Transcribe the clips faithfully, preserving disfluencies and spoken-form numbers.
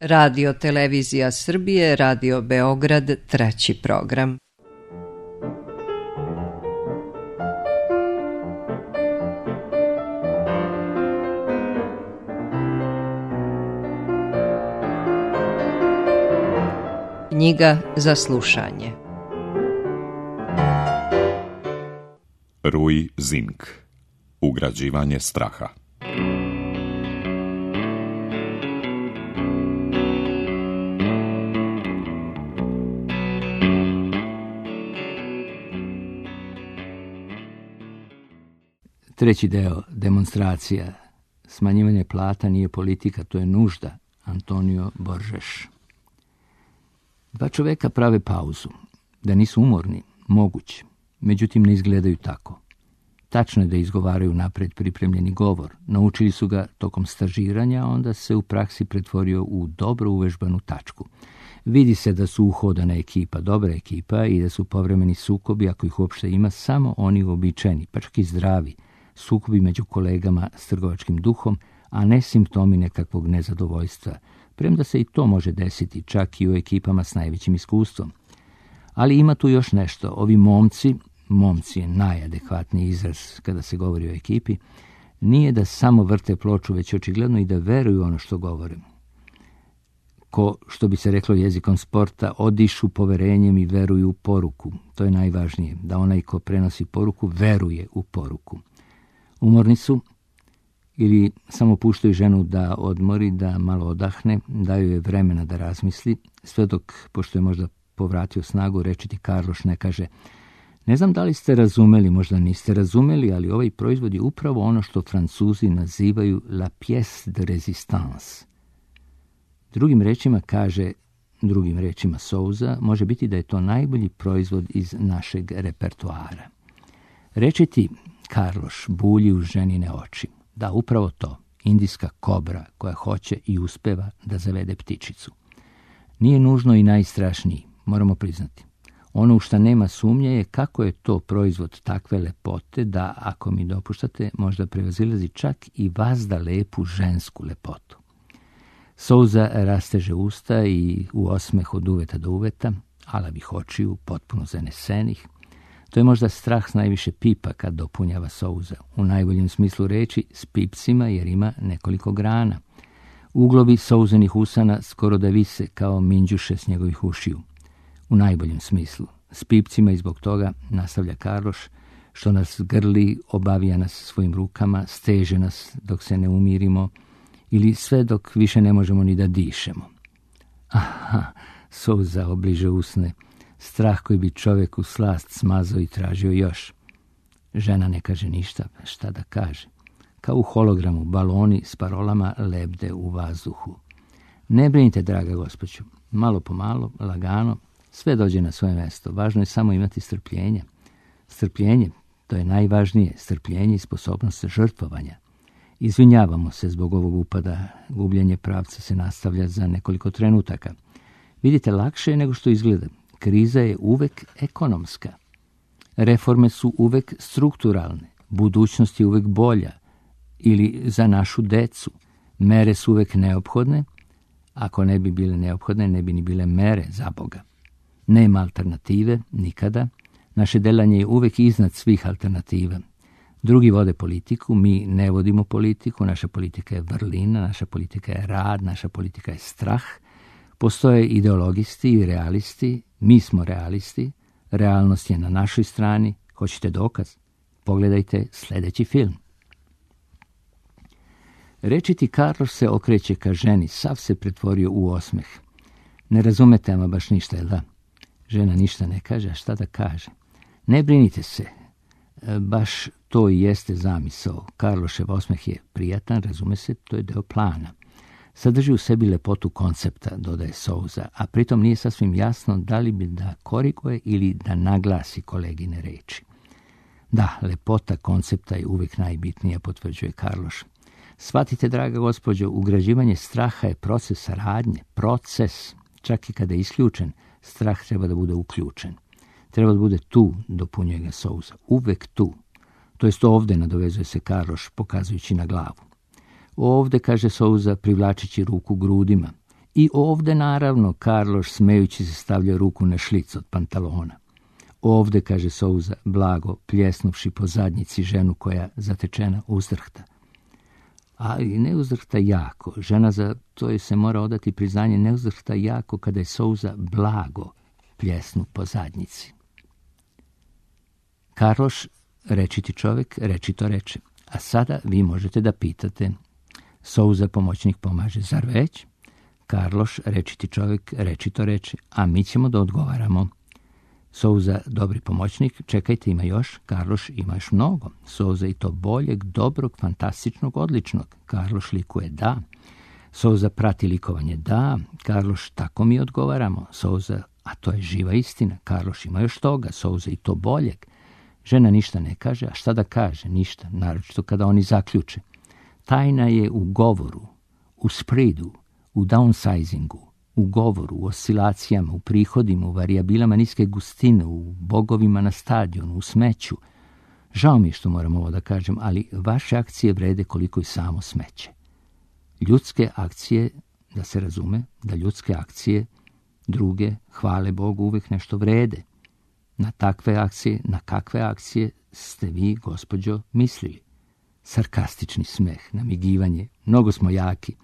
Radio Televizija Srbije, Radio Beograd, treći program. Knjiga za slušanje. Rui Zink. Ugrađivanje straha. Treći deo, demonstracija. Smanjivanje plata nije politika, to je nužda. Antonio Borges. Dva čoveka prave pauzu. Da nisu umorni, moguće. Međutim, ne izgledaju tako. Tačno je da izgovaraju napred pripremljeni govor. Naučili su ga tokom stažiranja, a onda se u praksi pretvorio u dobro uvežbanu tačku. Vidi se da su uhodana ekipa, dobra ekipa i da su povremeni sukobi, ako ih uopšte ima, samo oni uobičajeni, pa čak i zdravi. Sukobi među kolegama s trgovačkim duhom, a ne simptomi nekakvog nezadovoljstva. Premda se i to može desiti, čak i u ekipama s najvećim iskustvom. Ali ima tu još nešto. Ovi momci, momci je najadekvatniji izraz kada se govori o ekipi, nije da samo vrte ploču, već očigledno i da veruju ono što govore. Ko, što bi se reklo jezikom sporta, odišu poverenjem i veruju u poruku. To je najvažnije, da onaj ko prenosi poruku veruje u poruku. Umorni su ili samo puštaju ženu da odmori, da malo odahne, daju je vremena da razmisli, sve dok, pošto je možda povratio snagu, rečiti Karloš ne kaže: ne znam da li ste razumeli, možda niste razumeli, ali ovaj proizvod je upravo ono što Francuzi nazivaju la pièce de résistance. Drugim rečima kaže, drugim rečima Souza, može biti da je to najbolji proizvod iz našeg repertoara. Rečiti Karloš bulji u ženine oči. Da, upravo to, indijska kobra koja hoće i uspeva da zavede ptičicu. Nije nužno i najstrašniji, moramo priznati. Ono u šta nema sumnje je kako je to proizvod takve lepote da, ako mi dopuštate, možda prevazilazi čak i vazda lepu žensku lepotu. Souza rasteže usta i u osmeh od uveta do uveta, alavih očiju, potpuno zanesenih. To je možda strah s najviše pipa kad dopunjava Souza. U najboljem smislu reči s pipcima jer ima nekoliko grana. Uglovi Souzenih usana skoro da vise kao minđuše s njegovih ušiju. U najboljem smislu. S pipcima i zbog toga, nastavlja Karloš, što nas grli, obavija nas svojim rukama, steže nas dok se ne umirimo ili sve dok više ne možemo ni da dišemo. Aha, Souza obliže usne. Strah koji bi čovjeku slast smazao i tražio još. Žena ne kaže ništa, šta da kaže. Kao u hologramu, baloni s parolama lebde u vazduhu. Ne brinite, draga gospođo, malo po malo, lagano, sve dođe na svoje mjesto. Važno je samo imati strpljenje. Strpljenje, to je najvažnije, strpljenje i sposobnost žrtvovanja. Izvinjavamo se zbog ovog upada, gubljenje pravca se nastavlja za nekoliko trenutaka. Vidite, lakše je nego što izgleda. Kriza je uvek ekonomska. Reforme su uvek strukturalne. Budućnost je uvek bolja. Ili za našu decu. Mere su uvek neophodne. Ako ne bi bile neophodne, ne bi ni bile mere, za Boga. Nema alternative, nikada. Naše delanje je uvek iznad svih alternativa. Drugi vode politiku, mi ne vodimo politiku. Naša politika je vrlina, naša politika je rad, naša politika je strah. Postoje ideologisti i realisti, mi smo realisti, realnost je na našoj strani. Hoćete dokaz? Pogledajte sljedeći film. Rečiti Karloš se okreće ka ženi, sav se pretvorio u osmeh. Ne razumete ama baš ništa, jel da? Žena ništa ne kaže, a šta da kaže? Ne brinite se, baš to i jeste zamisao. Karlošev osmeh je prijatan, razume se, to je deo plana. Sadrži u sebi lepotu koncepta, dodaje Souza, a pritom nije sasvim jasno da li bi da koriguje ili da naglasi kolegine reči. Da, lepota koncepta je uvijek najbitnija, potvrđuje Karloš. Shvatite, draga gospođo, ugrađivanje straha je proces saradnje, proces. Čak i kada je isključen, strah treba da bude uključen. Treba da bude tu, dopunjuje ga Souza, uvek tu. To jest ovde, nadovezuje se Karloš, pokazujući na glavu. Ovde, kaže Souza, privlačići ruku grudima. I ovde, naravno, Karloš smejući se stavlja ruku na šlic od pantalona. Ovde, kaže Souza, blago pljesnuvši po zadnjici ženu koja zatečena uzdrhta. Ali ne uzdrhta jako. Žena za to je se mora odati priznanje, ne uzdrhta jako kada je Souza blago pljesnu po zadnjici. Karloš, rečiti čovjek, rečito reče. A sada vi možete da pitate. Souza pomoćnik pomaže, zar već? Karloš, rečiti čovjek, rečito reče, a mi ćemo da odgovaramo. Souza, dobri pomoćnik, čekajte, ima još. Karloš, ima još mnogo. Souza, i to boljeg, dobrog, fantastičnog, odličnog. Karloš likuje, da. Souza, prati likovanje, da. Karloš, tako mi odgovaramo. Souza, a to je živa istina. Karloš, ima još toga. Souza, i to boljeg. Žena ništa ne kaže, a šta da kaže? Ništa, naročito kada oni zaključe. Tajna je u govoru, u spredu, u downsizingu, u govoru, u oscilacijama, u prihodima, u varijabilama niske gustine, u bogovima na stadionu, u smeću. Žao mi je što moram ovo da kažem, ali vaše akcije vrede koliko i samo smeće. Ljudske akcije, da se razume, da ljudske akcije druge, hvale Bogu, uvijek nešto vrede. Na takve akcije, na kakve akcije ste vi, gospođo, mislili? Sarkastični smeh, namigivanje, mnogo smo jaki.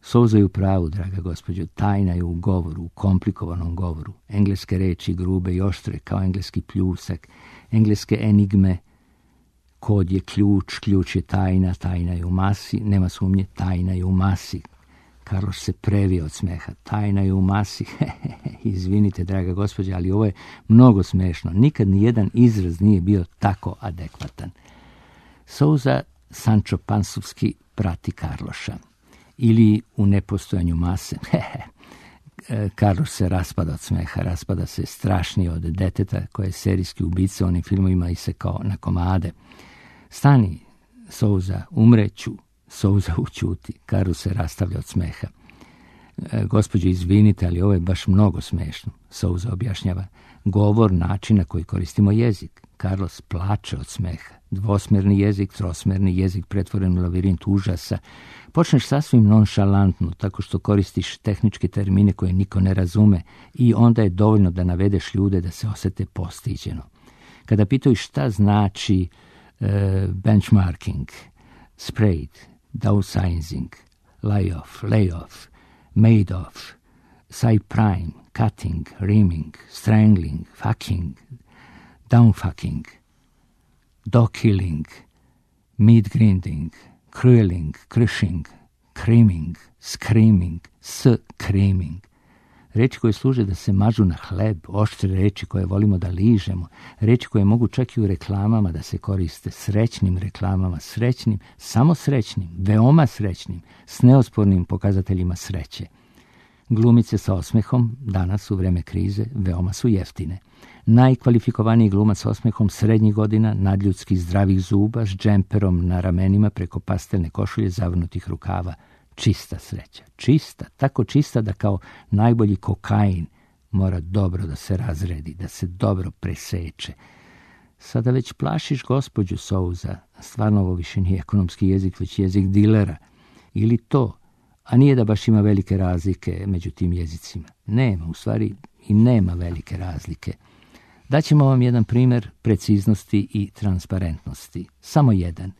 Souza je u pravu, draga gospođo, tajna je u govoru, u komplikovanom govoru. Engleske reči grube i oštre kao engleski pljusak, engleske enigme, kod je ključ, ključ je tajna, tajna je u masi, nema sumnje, tajna je u masi. Karloš se previo od smeha, tajna je u masi. Izvinite, draga gospođa, ali ovo je mnogo smešno. Nikad ni jedan izraz nije bio tako adekvatan. Souza Sancho Pansovski prati Karloša. Ili u nepostojanju mase. Karloš se raspada od smeha, raspada se strašnije od deteta koje je serijski ubica u onim filmovima i se kao na komade. Stani, Souza, umreću. Souza ućuti. Karloš se rastavlja od smeha. E, gospođo, izvinite, ali ovo je baš mnogo smešno. Souza objašnjava. Govor, način na koji koristimo jezik. Karloš plače od smeha. Dvosmerni jezik, trosmerni jezik pretvoren u lavirint užasa. Počneš sasvim nonšalantno, tako što koristiš tehničke termine koje niko ne razume i onda je dovoljno da navedeš ljude da se osete postiđeno. Kada pitaju šta znači uh, benchmarking, sprayed, downsizing, lay-off, lay-off, made-off, side prime, cutting, reaming, strangling, fucking, downfucking, dog killing, meat grinding, crueling, crushing, creaming, screaming, screaming. Reči koje služe da se mažu na hleb, oštre reči koje volimo da ližemo, reči koje mogu čak i u reklamama da se koriste, srećnim reklamama, srećnim, samo srećnim, veoma srećnim, s neospornim pokazateljima sreće. Glumice sa osmehom, danas u vreme krize, veoma su jeftine. Najkvalifikovaniji glumac s osmehom srednjih godina, nadljudskih zdravih zuba, s džemperom na ramenima preko pastelne košulje zavrnutih rukava. Čista sreća, čista, tako čista da kao najbolji kokain mora dobro da se razredi, da se dobro preseče. Sada već plašiš gospođu Souza, stvarno ovo više nije ekonomski jezik, već jezik dilera. Ili to, a nije da baš ima velike razlike među tim jezicima. Nema, u stvari i nema velike razlike. Daćemo vam jedan primjer preciznosti i transparentnosti. Samo jedan.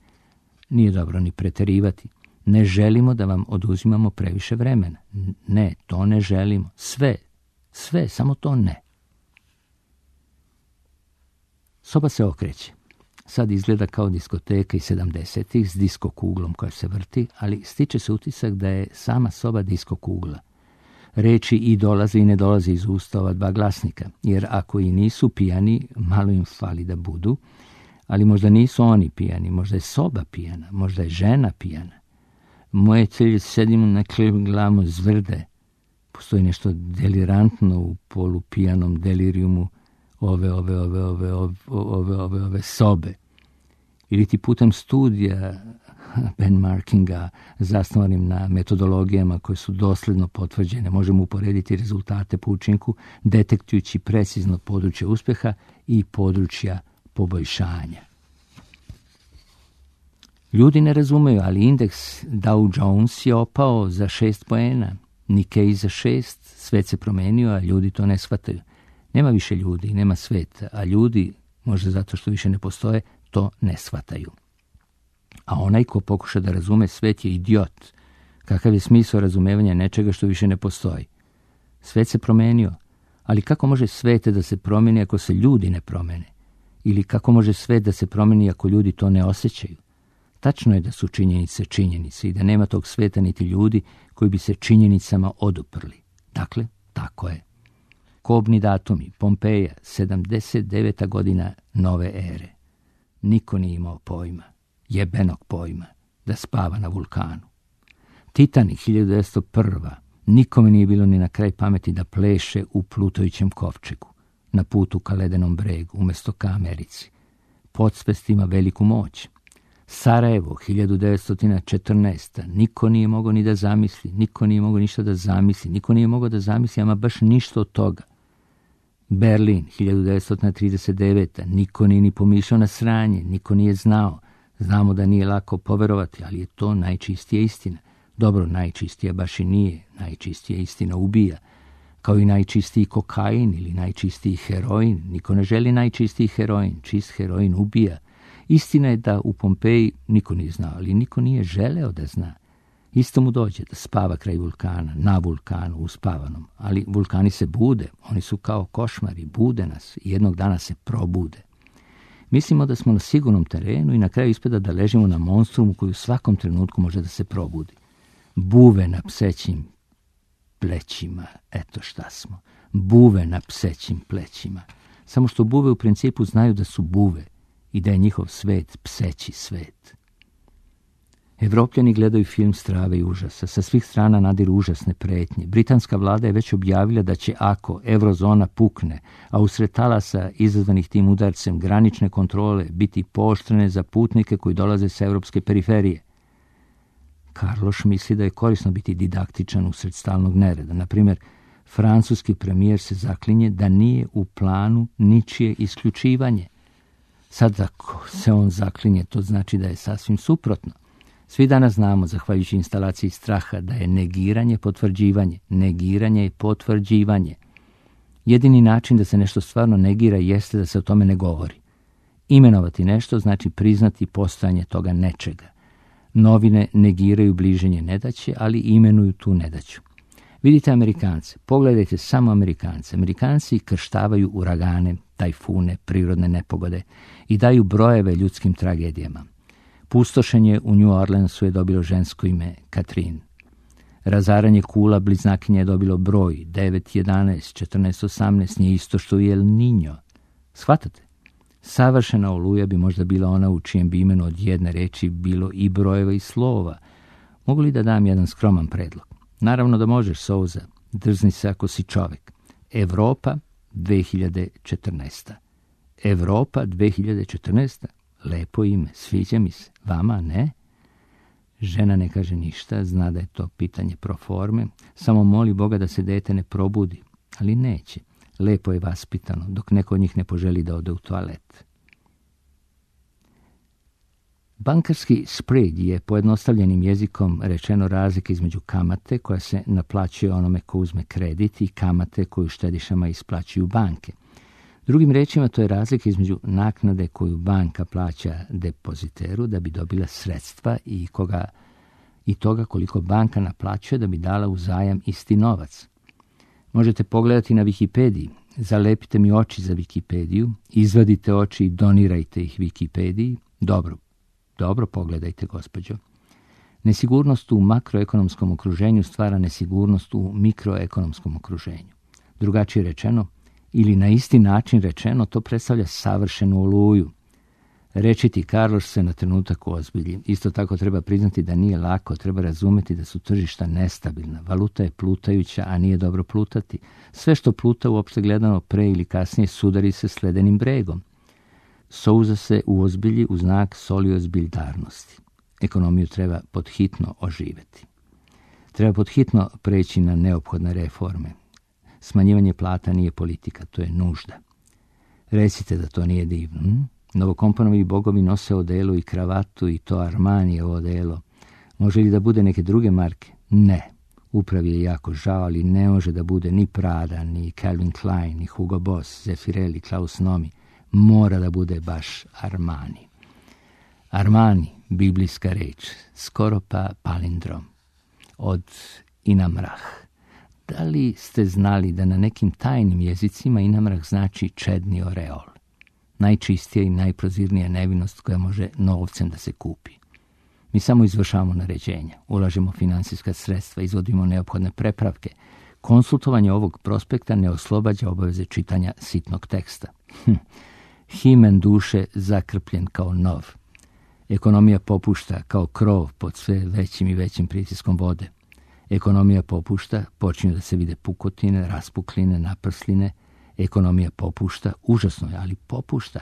Nije dobro ni preterivati. Ne želimo da vam oduzimamo previše vremena. Ne, to ne želimo. Sve, sve, samo to ne. Soba se okreće. Sad izgleda kao diskoteka iz sedamdesetih s disko kuglom koja se vrti, ali stiče se utisak da je sama soba disko kugla. Reči i dolaze i ne dolaze iz usta ova dva glasnika, jer ako i nisu pijani, malo im fali da budu, ali možda nisu oni pijani, možda je soba pijana, možda je žena pijana. Moje celje sedimo na glavu zvrde. Postoji nešto delirantno u polupijanom delirijumu ove, ove, ove, ove, ove, ove, ove, ove sobe. Ili ti putem studija benchmarkinga zasnovanim na metodologijama koje su dosledno potvrđene možemo uporediti rezultate po učinku detektujući precizno područje uspeha i područja poboljšanja. Ljudi ne razumeju, ali indeks Dow Jones je opao za šest poena. Nikej za šest, svet se promenio, a ljudi to ne shvataju. Nema više ljudi, nema sveta, a ljudi, možda zato što više ne postoje, to ne shvataju. A onaj ko pokuša da razume svet je idiot. Kakav je smisao razumevanja nečega što više ne postoji? Svet se promenio, ali kako može svet da se promeni ako se ljudi ne promene? Ili kako može svet da se promeni ako ljudi to ne osjećaju? Tačno je da su činjenice činjenice i da nema tog sveta niti ljudi koji bi se činjenicama oduprli. Dakle, tako je. Kobni datumi, Pompeja, sedamdeset deveta godina nove ere. Niko nije imao pojma, jebenog pojma, da spava na vulkanu. Titanic, hiljadu devetsto prva. Nikome nije bilo ni na kraj pameti da pleše u plutajućem kovčegu, na putu ka ledenom bregu, umjesto ka Americi. Podsvest ima veliku moć. Sarajevo, hiljadu devetsto četrnaesta. Niko nije mogao ni da zamisli, niko nije mogao ništa da zamisli, niko nije mogao da zamisli, ama baš ništa od toga. Berlin, hiljadu devetsto trideset deveta. Niko nije ni pomišljao na sranje, niko nije znao. Znamo da nije lako poverovati, ali je to najčistija istina. Dobro, najčistija baš i nije. Najčistija istina ubija. Kao i najčistiji kokain ili najčistiji heroin. Niko ne želi najčistiji heroin. Čist heroin ubija. Istina je da u Pompeji niko nije znao, ali niko nije želeo da zna. Isto mu dođe da spava kraj vulkana, na vulkanu, uspavanom. Ali vulkani se bude. Oni su kao košmari, bude nas i jednog dana se probude. Mislimo da smo na sigurnom terenu i na kraju ispada da ležimo na monstrumu koji u svakom trenutku može da se probudi. Buve na psećim plećima, eto šta smo. Buve na psećim plećima. Samo što buve u principu znaju da su buve i da je njihov svet pseći svet. Evropljani gledaju film strave i užasa. Sa svih strana nadiru užasne pretnje. Britanska vlada je već objavila da će, ako eurozona pukne, a usred talasa izazvanih tim udarcem granične kontrole biti pooštrene za putnike koji dolaze sa evropske periferije. Karloš misli da je korisno biti didaktičan usred stalnog nereda. Naprimjer, francuski premijer se zaklinje da nije u planu ničije isključivanje. Sad ako se on zaklinje, to znači da je sasvim suprotno. Svi danas znamo, zahvaljujući instalaciji straha, da je negiranje potvrđivanje. Negiranje je potvrđivanje. Jedini način da se nešto stvarno negira jeste da se o tome ne govori. Imenovati nešto znači priznati postojanje toga nečega. Novine negiraju bliženje nedaće, ali imenuju tu nedaću. Vidite Amerikance, pogledajte samo Amerikance. Amerikanci krštavaju uragane, tajfune, prirodne nepogode i daju brojeve ljudskim tragedijama. Pustošenje u New Orleansu je dobilo žensko ime Katrin. Razaranje kula bliznakinja je dobilo broj devet, jedanaest, četrnaest, osamnaest, nije isto što i El Niño. Shvatate? Savršena oluja bi možda bila ona u čijem bi imenu od jedne reči bilo i brojeva i slova. Mogu li da dam jedan skroman predlog? Naravno da možeš, Souza. Drzni se ako si čovek. Evropa dve hiljade četrnaesta. Evropa dve hiljade četrnaesta. Lepo ime, sviđa mi se. Vama ne? Žena ne kaže ništa, zna da je to pitanje proforme. Samo moli Boga da se dete ne probudi. Ali neće. Lepo je vaspitano, dok neko od njih ne poželi da ode u toalet. Bankarski spread je pojednostavljenim jezikom rečeno razlika između kamate koja se naplaćuje onome ko uzme kredit i kamate koju štedišama isplaćuju banke. Drugim rečima, to je razlika između naknade koju banka plaća depoziteru da bi dobila sredstva i, koga, i toga koliko banka naplaćuje da bi dala u zajam isti novac. Možete pogledati na Wikipediji. Zalepite mi oči za Wikipediju, izvadite oči i donirajte ih Wikipediji. Dobro, dobro pogledajte, gospođo. Nesigurnost u makroekonomskom okruženju stvara nesigurnost u mikroekonomskom okruženju. Drugačije rečeno, ili na isti način rečeno, to predstavlja savršenu oluju. Rečiti Karloš se na trenutak ozbilji. Isto tako treba priznati da nije lako, treba razumjeti da su tržišta nestabilna. Valuta je plutajuća, a nije dobro plutati. Sve što pluta uopšte gledano pre ili kasnije sudari se s ledenim bregom. Souza se uozbilji u znak soliozbiljdarnosti. Ekonomiju treba podhitno oživeti. Treba podhitno preći na neophodne reforme. Smanjivanje plata nije politika, to je nužda. Recite da to nije divno. Hm? Novokomponovi bogovi nose odelu i kravatu i to Armanijevo odelo. Može li da bude neke druge marke? Ne. Upravi je jako žao, ali ne može da bude ni Prada, ni Calvin Klein, ni Hugo Boss, Zeffirelli, Klaus Nomi. Mora da bude baš Armani. Armani, biblijska reč, skoro pa palindrom, od Inamrah. Da li ste znali da na nekim tajnim jezicima Inamrah znači čedni oreol? Najčistija i najprozirnija nevinost koja može novcem da se kupi. Mi samo izvršavamo naređenja, ulažemo finansijska sredstva, izvodimo neophodne prepravke. Konsultovanje ovog prospekta ne oslobađa obaveze čitanja sitnog teksta. Hm. Himen duše zakrpljen kao nov. Ekonomija popušta kao krov pod sve većim i većim pritiskom vode. Ekonomija popušta, počinju da se vide pukotine, raspukline, naprsline. Ekonomija popušta, užasno je, ali popušta.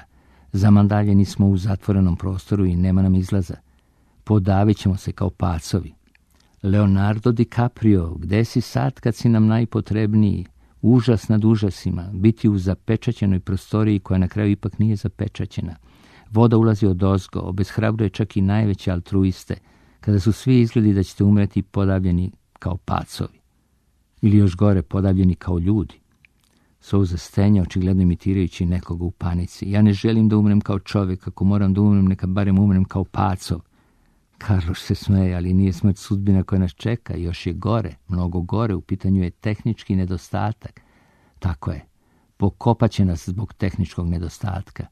Zamandaljeni smo u zatvorenom prostoru i nema nam izlaza. Podavit ćemo se kao pacovi. Leonardo DiCaprio, gde si sad kad si nam najpotrebniji? Užas nad užasima, biti u zapečaćenoj prostoriji koja na kraju ipak nije zapečaćena. Voda ulazi od ozgo, obeshrabruje čak i najveće altruiste, kada su svi izgledi da ćete umreti podavljeni kao pacovi. Ili još gore, podavljeni kao ljudi. Souza stenja, očigledno imitirajući nekoga u panici. Ja ne želim da umrem kao čovjek, ako moram da umrem, neka barem umrem kao pacov. Karloš se smeje, ali nije smrt sudbina koja nas čeka, još je gore, mnogo gore, u pitanju je tehnički nedostatak. Tako je, pokopat će nas zbog tehničkog nedostatka.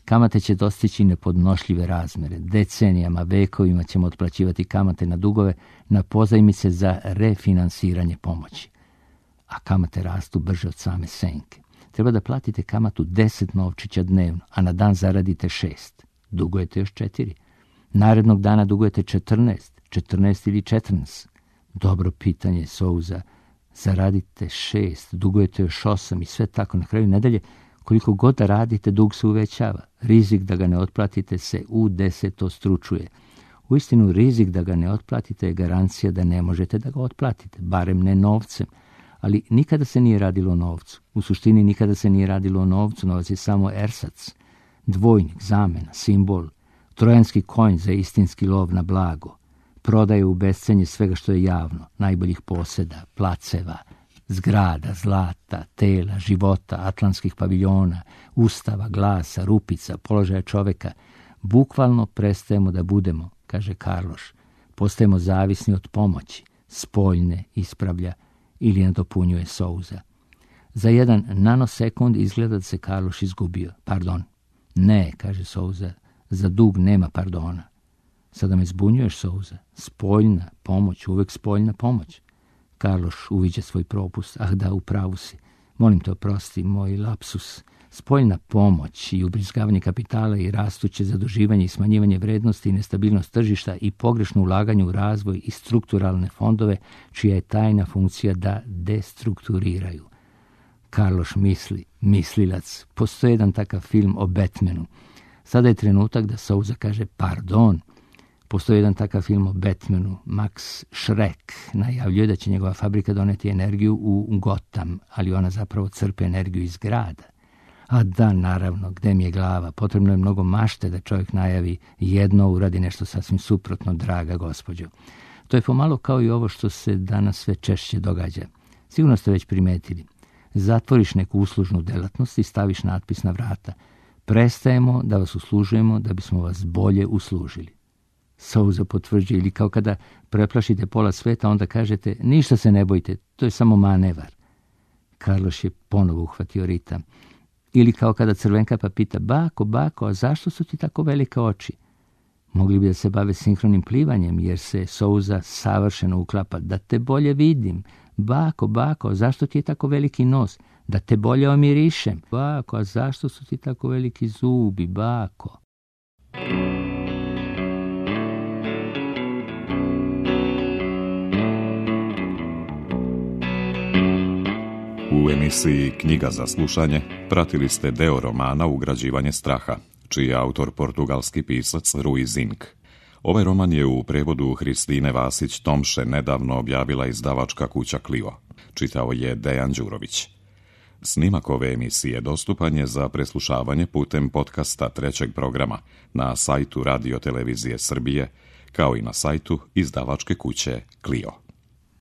Kamate će dostići nepodnošljive razmere, decenijama, vekovima ćemo otplaćivati kamate na dugove, na pozajmice za refinansiranje pomoći. A kamate rastu brže od same senke. Treba da platite kamatu deset novčića dnevno, a na dan zaradite šest. Dugujete još četiri. Narednog dana dugujete četrnaest, četrnaest ili četrnaest. Dobro pitanje, Souza. Zaradite šest, dugujete još osam i sve tako. Na kraju nedelje, koliko god da radite, dug se uvećava. Rizik da ga ne otplatite se u desetostručuje. Uistinu, rizik da ga ne otplatite je garancija da ne možete da ga otplatite, barem ne novcem. Ali nikada se nije radilo o novcu. U suštini nikada se nije radilo o novcu, novac je samo ersac, dvojnik, zamena, simbol, trojanski konj za istinski lov na blago, prodaje u bescenje svega što je javno, najboljih poseda, placeva, zgrada, zlata, tela, života, atlantskih paviljona, ustava, glasa, rupica, položaja čoveka. Bukvalno prestajemo da budemo, kaže Karloš, postajemo zavisni od pomoći, spoljne ispravlja ili nadopunjuje Souza. Za jedan nanosekund izgleda da se Karloš izgubio. Pardon. Ne, kaže Souza, za dug nema pardona. Sada me zbunjuješ, Souza. Spoljna pomoć, uvek spoljna pomoć. Karloš uviđa svoj propust. Ah da, u pravu si. Molim te oprosti, moj lapsus. Spoljna pomoć i ubrizgavanje kapitala i rastuće zaduživanje i smanjivanje vrednosti i nestabilnost tržišta i pogrešno ulaganje u razvoj i strukturalne fondove, čija je tajna funkcija da destrukturiraju. Karloš misli, mislilac. Postoji jedan takav film o Batmanu. Sada je trenutak da Souza kaže pardon. Postoji jedan takav film o Batmanu. Max Schreck najavljuje da će njegova fabrika doneti energiju u Gotham, ali ona zapravo crpe energiju iz grada. A da, naravno, gde mi je glava? Potrebno je mnogo mašte da čovjek najavi jedno, uradi nešto sasvim suprotno, draga gospođo. To je pomalo kao i ovo što se danas sve češće događa. Sigurno ste već primetili. Zatvoriš neku uslužnu delatnost i staviš natpis na vrata. Prestajemo da vas uslužujemo da bismo vas bolje uslužili. Souza potvrđuje, ili kao kada preplašite pola sveta, onda kažete ništa se ne bojte, to je samo manevar. Karloš je ponovo uhvatio ritam. Ili kao kada Crvenka pa pita, bako, bako, a zašto su ti tako velike oči? Mogli bi da se bave sinhronim plivanjem, jer se Souza savršeno uklapa. Da te bolje vidim. Bako, bako, a zašto ti je tako veliki nos? Da te bolje omirišem. Bako, a zašto su ti tako veliki zubi? Bako. U emisiji Knjiga za slušanje pratili ste deo romana Ugrađivanje straha, čiji je autor portugalski pisac Rui Zinck. Ovaj roman je u prevodu Hristine Vasić-Tomše nedavno objavila izdavačka kuća Clio. Čitao je Dejan Đurović. Snimak ove emisije dostupan je za preslušavanje putem podcasta trećeg programa na sajtu Radio Televizije Srbije, kao i na sajtu izdavačke kuće Clio.